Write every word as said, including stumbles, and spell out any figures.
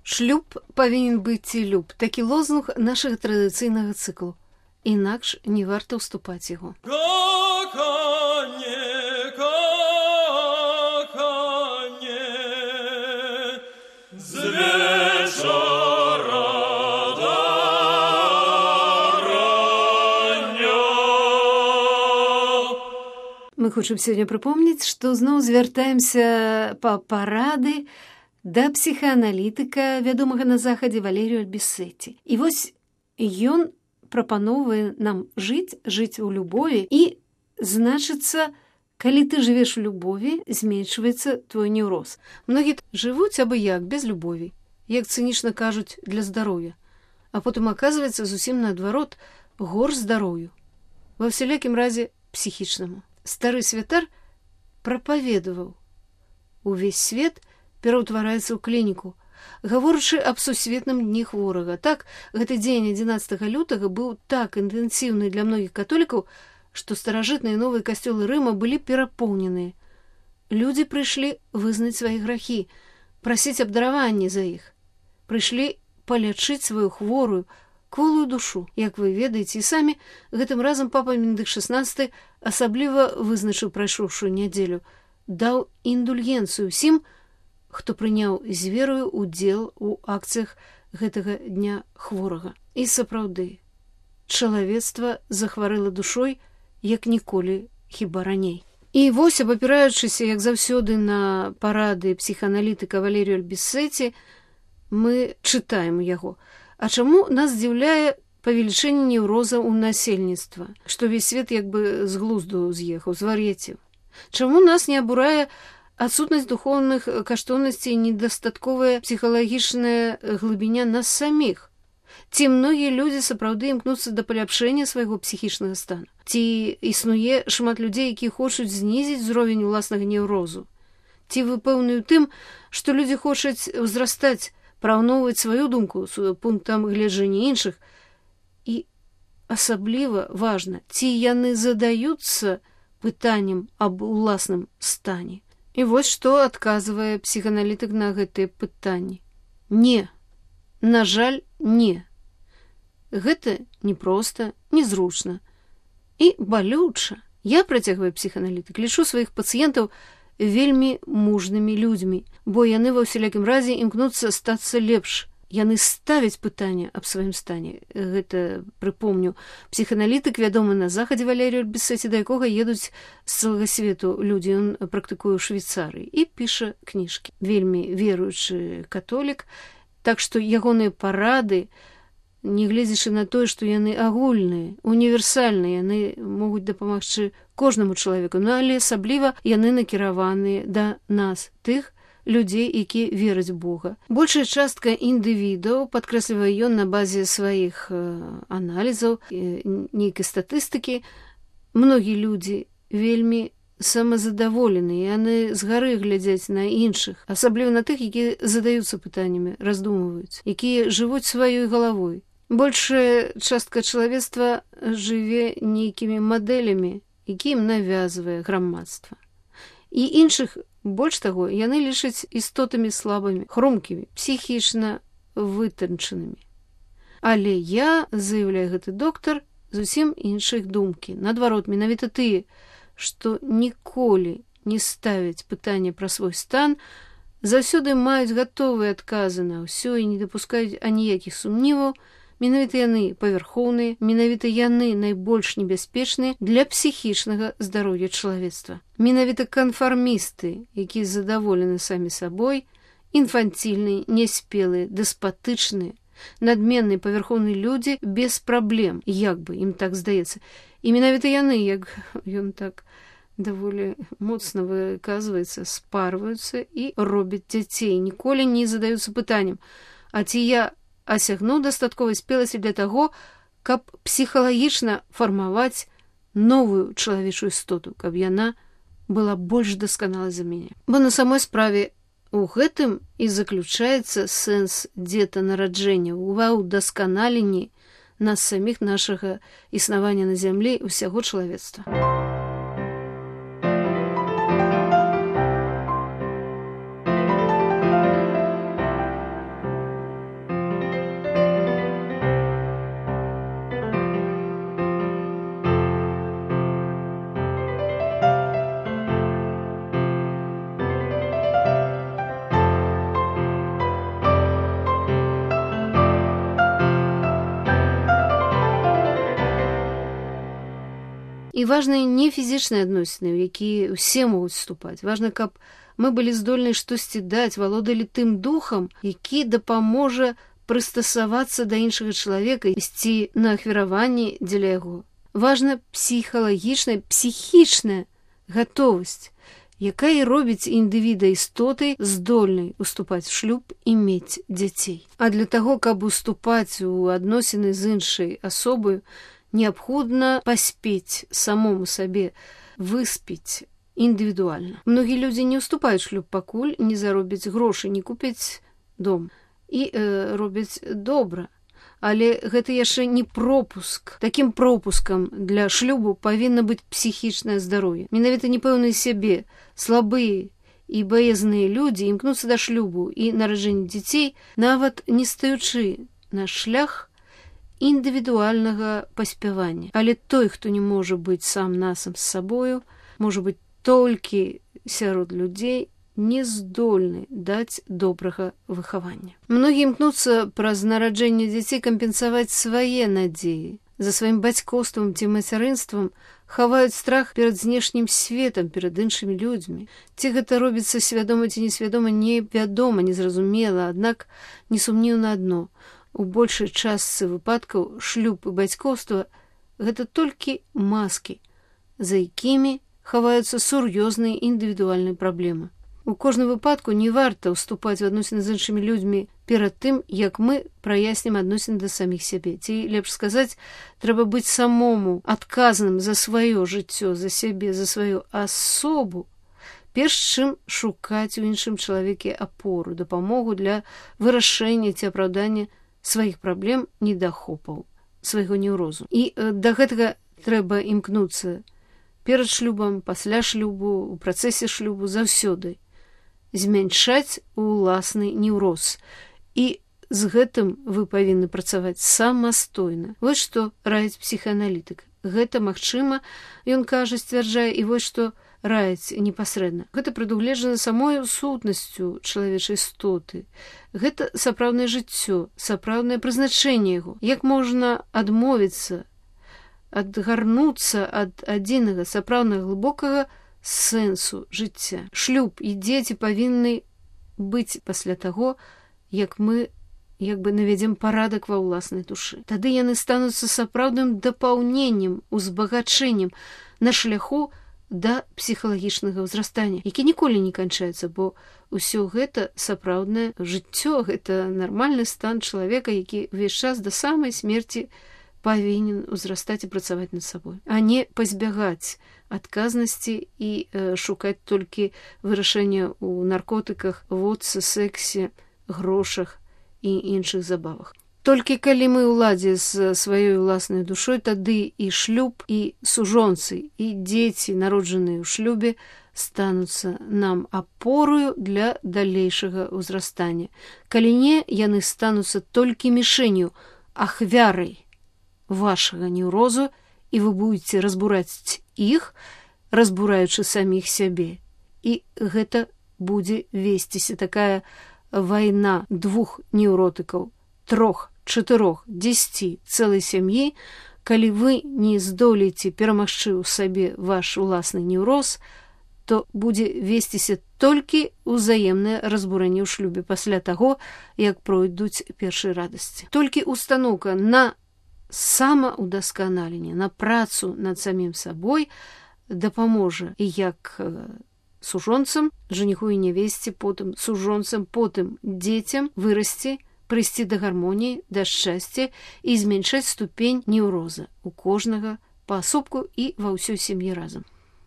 Шлюб павінен быць ці люб. Такі лозунг нашага традыцыйнага цыклу. Інакш не варта ўступаць яго. Коханне, коханне, з вечора до рання. Мы хочам сёння прыпомніць, што зноў звяртаемся па парады да псіхааналітыка, вядомага на захадзе Валерію Альбісеці. І вось ён прапановвае нам жыць, жыць у любові, і, значыцца, калі ты жывеш у любові, зменшваецца твой неўроз. Многія жывуць абы як, без любові, як цынічна кажуць, для здароўя. А потым аказваецца зусім наадварот, горш здароўю. Ва ўсялякім разе псіхічнаму. Стары святар прапаведаваў: увесь свет пераўтвараецца ў клініку, гаворачы аб сусветным дні хворага. Так, гэты дзень адзінаццатага лютага быў так інтэнсіўны для многіх католікаў, што старажытныя новыя касцёлы Рыма былі перапоўненыя. Людзі прыйшлі вызнаць свае грахі, прасіць абдараванні за іх. Прыйшлі палячыць сваю хворую, кволую душу. Як вы ведаеце, і самі гэтым разам папа Бенедыкт шаснаццаты асабліва вызначыў прайшоўшую нядзелю, даў індульгенцыю ўсім, хто прыняў з верою удзел у акцыях гэтага дня хворага. І сапраўды, чалавецтва захварэла душой, як ніколі, хіба раней. І вось, абапіраючыся, як заўсёды, на парады псіхааналітыка Валерію Альбісеці, мы чытаем яго. А чаму нас здзіўляе павелічэнне неўроза ў насельніцтва, што весь свет як бы з глузду з'ехаў, звар'яцеў? Чаму нас не абурае адсутнасць духоўных каштоўнасцей і недастатковая псіхалагічная глыбіня нас саміх? Ці многія людзі сапраўды імкнуцца да паляпшэння свайго псіхічнага стану? Ці існуе шмат людзей, якія хочуць знізіць узровень уласнага неўрозу? Ці вы пэўны ў тым, што людзі хочуць ўзрастаць, параўноўваць сваю думку з пунктам гледжання іншых? І асабліва важна, ці яны задаюцца пытаннем аб уласным стане? І вось што адказвае псіхааналітык на гэтыя пытанні. Не. На жаль, не. Гэта непроста, незручна і балюча. Я, працягвае псіхааналітык, лічу сваіх пацыентаў вельмі мужнымі людзьмі, бо яны ва ўсялякім разе імкнуцца стацца лепш. Яны ставяць пытанне аб сваім стане. Гэта, прыпомню, псіхааналітык, вядомы на захадзе Валерію Альбісеці, да якога едуць з цэлага свету людзі. Ён практыкуе ў Швейцарыі і піша кніжкі. Вельмі веруючы католік, так што ягоныя парады, нягледзячы на тое, што яны агульныя, універсальныя, яны могуць дапамагчы кожнаму чалавеку, ну, але асабліва яны накіраваныя да нас, тых людзей, якія вераць Бога. Большая частка індывідаў, падкрэслівае ён на базе сваіх аналізаў, нейкай статыстыкі, многія людзі вельмі самазадаволеныя, яны згары глядзяць на іншых, асабліва на тых, якія задаюцца пытаннямі, раздумваюць, якія жывуць сваёй галавой. Большая частка чалавецтва жыве нейкімі мадэлямі, якія ім навязвае грамадства. І іншых, больш таго, яны лічаць істотамі слабымі, хрумкімі, псіхічна вытанчанымі. Але я, заяўляе гэты доктар, зусім іншых думкі. Наадварот, менавіта тыя, што ніколі не ставяць пытанне пра свой стан, заўсёды маюць гатовыя адказы на ўсё і не дапускаюць аніякіх сумніваў, менавіта яны павярхоўныя, менавіта яны найбольш небяспечныя для псіхічнага здароўя чалавецтва. Менавіта канфармісты, якія задаволены самі сабой, інфанцільныя, няспелыя, дэспатычныя, надменныя павярхоўныя людзі без праблем, як бы ім так здаецца. І менавіта яны, як ён так даволі моцна выказваецца, спарваюцца і робяць дзяцей, ніколі не задаюцца пытаннем: а ці я асягнуў дастатковай спеласці для таго, каб псіхалагічна фармаваць новую чалавечую істоту, каб яна была больш дасканалай за мяне. Бо на самой справе у гэтым і заключаецца сэнс дзетанараджэння, ва ўдасканаленні нас саміх, нашага існавання на зямлі, усяго чалавецтва. І важны не фізічныя адносіны, у якія ўсе могуць вступаць. Важна, каб мы былі здольны штосьці даць, валодалі тым духам, які дапаможа прыстасавацца да іншага чалавека, ісці на ахвяраванні дзеля яго. Важна псіхалагічная, псіхічная гатовасць, якая і робіць індывіда істотай здольнай уступаць у шлюб і мець дзяцей. А для таго, каб уступаць у адносіны з іншай асобаю, неабходна паспець самому сабе выспіць індывідуальна. Многія людзі не ўступаюць шлюб, пакуль не заробяць грошы, не купяць дом. І э, робяць добра. Але гэта яшчэ не пропуск. Такім пропускам для шлюбу павінна быць псіхічнае здароўе. Менавіта непэўныя сябе, слабыя і баязныя людзі імкнуцца да шлюбу і нараджэння дзяцей, нават не стаючы на шлях індывідуальнага паспявання. Але той, хто не можа быць сам насам з сабою, можа быць толькі сярод людзей, не здольны даць добрага выхавання. Многія імкнуцца праз нараджэнне дзяцей кампенсаваць свае надзеі. За сваім бацькоўствам ці мацярынствам хаваюць страх перад знешнім светам, перад іншымі людзьмі. Ці гэта робіцца свядома ці несвядома, невядома, незразумела, аднак несумнеўна адно. У большай частцы выпадкаў шлюб і бацькоўства гэта толькі маскі, за якімі хаваюцца сур'ёзныя індывідуальныя праблемы. У кожным выпадку не варта ўступаць в адносіны з іншымі людзьмі перад тым, як мы праяснім адносіны да саміх сябе. Ці, лепш сказаць, трэба быць самому адказным за сваё жыццё, за сябе, за сваю асобу, перш чым шукаць у іншым чалавеке апору, дапамогу для вырашэння ці апраўдання сваіх праблем, недахопаў, свайго неўрозу. І э, да гэтага трэба імкнуцца перад шлюбам, пасля шлюбу, у працэсе шлюбу, заўсёды змяншаць уласны неўроз. І з гэтым вы павінны працаваць самастойна. Вось што раіць псіхааналітык. Гэта магчыма, ён кажа, сцвярджае, і вось што раіць непасрэдна. Гэта прадугледжана самой сутнасцю чалавечай істоты. Гэта сапраўднае жыццё, сапраўднае прызначэнне яго. Як можна адмовіцца, адгарнуцца ад адзінага сапраўднага глыбокага сэнсу жыцця. Шлюб і дзеці павінны быць пасля таго, як мы як бы наведзем парадак ва ўласнай душы. Тады яны стануцца сапраўдным дапаўненнем, узбагачэннем на шляху да псіхалагічнага ўзрастання, які ніколі не канчаецца, бо ўсё гэта сапраўднае жыццё, гэта нармальны стан чалавека, які ўвесь час да самай смерці павінен узрастаць і працаваць над сабой, а не пазбягаць адказнасці і э, шукаць толькі вырашэння ў наркотыках, водцы, сексе, грошах і іншых забавах. Толькі калі мы ўладзе з сваёй уласнай душой, тады і шлюб, і сужонцы, і дзеці, народжаныя ў шлюбе, стануцца нам апорою для далейшага ўзрастання. Калі не, яны стануцца толькі мішэнню, ахвярай вашага неўрозу, і вы будете разбураць іх, разбураючы саміх сябе. І гэта будзе весціся такая вайна двух неўротыкаў, трох, чатырох, дзесяці, цэлай сям'і, калі вы не здолееце перамагчы ў сабе ваш уласны неўроз, то будзе весціся толькі ўзаемнае разбурэнне ў шлюбе пасля таго, як пройдуць першыя радасці. Толькі устаноўка на самаўдасканаленне, на працу над самім сабой дапаможа і як сужонцам, жаніху і нявесце, потым сужонцам, потым дзецям вырасці, прыйсці да гармоніі, да шчасця і зменшаць ступень неўроза у кожнага паасобку і ва ўсёй сям'і разам.